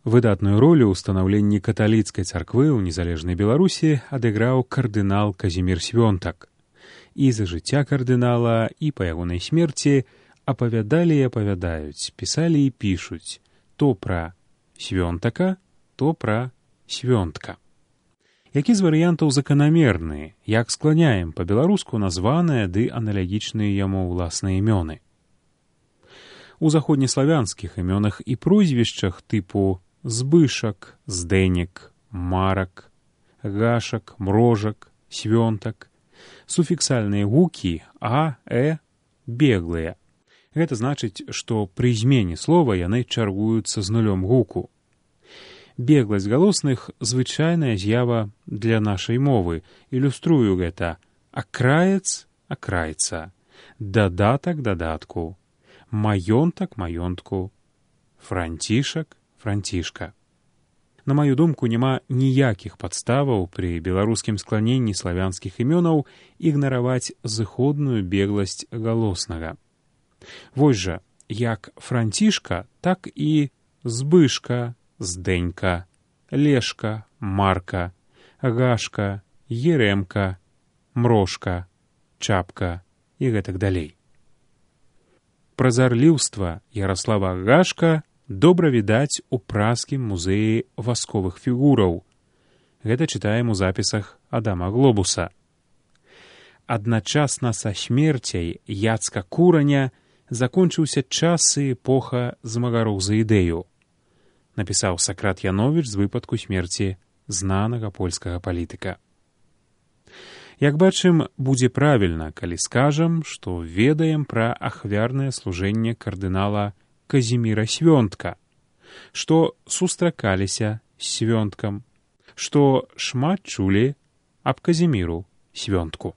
Выдатную ролю ў станаўленні каталіцкай царквы ў незалежнай Беларусі адыграў кардынал Казімір Свёнтак. І за жыцця кардынала, і па ягонай смерці апавядалі і апавядаюць, пісалі і пішуць то пра Свёнтака, то пра Свёнтка. Які з варыянтаў заканамерны, як скланяем па-беларуску названыя ды аналагічныя яму ўласныя імёны. У заходнеславянскіх імёнах і прозвішчах тыпу Збышак, Здэнек, Марак, Гашак, Мрожак, Свёнтак суфіксальныя гукі а, беглыя. Гэта значыць, што пры змене слова яны чаргуюцца з нулём гуку. Бегласць галосных — звычайная з'ява для нашай мовы. Ілюструю гэта: акраец — акрайца, дадатак — дадатку, маёнтак — маёнтку, францішак — францішка. На маю думку, няма ніякіх падставаў пры беларускім скланенні славянскіх імёнаў ігнараваць зыходную бегласць галоснага. Вось жа, як францішка, так і збышка, здэнька, лешка, марка, гашка, ерэмка, мрошка, чапка і гэтак далей. Празарліўства Яраслава Гашка добра відаць у празскім музеі васковых фігураў. Гэта чытаем у запісах Адама Глобуса. Адначасна са смерцяй Яцка Кураня закончыўся час і эпоха змагароў за ідэю, напісаў Сакрат Яновіч з выпадку смерці знанага польскага палітыка. Як бачым, будзе правільна, калі скажам, што ведаем пра ахвярнае служэнне кардынала Казіміра Свёнтка, што сустракаліся з Свёнткам, што шмат чулі аб Казіміру Свёнтку.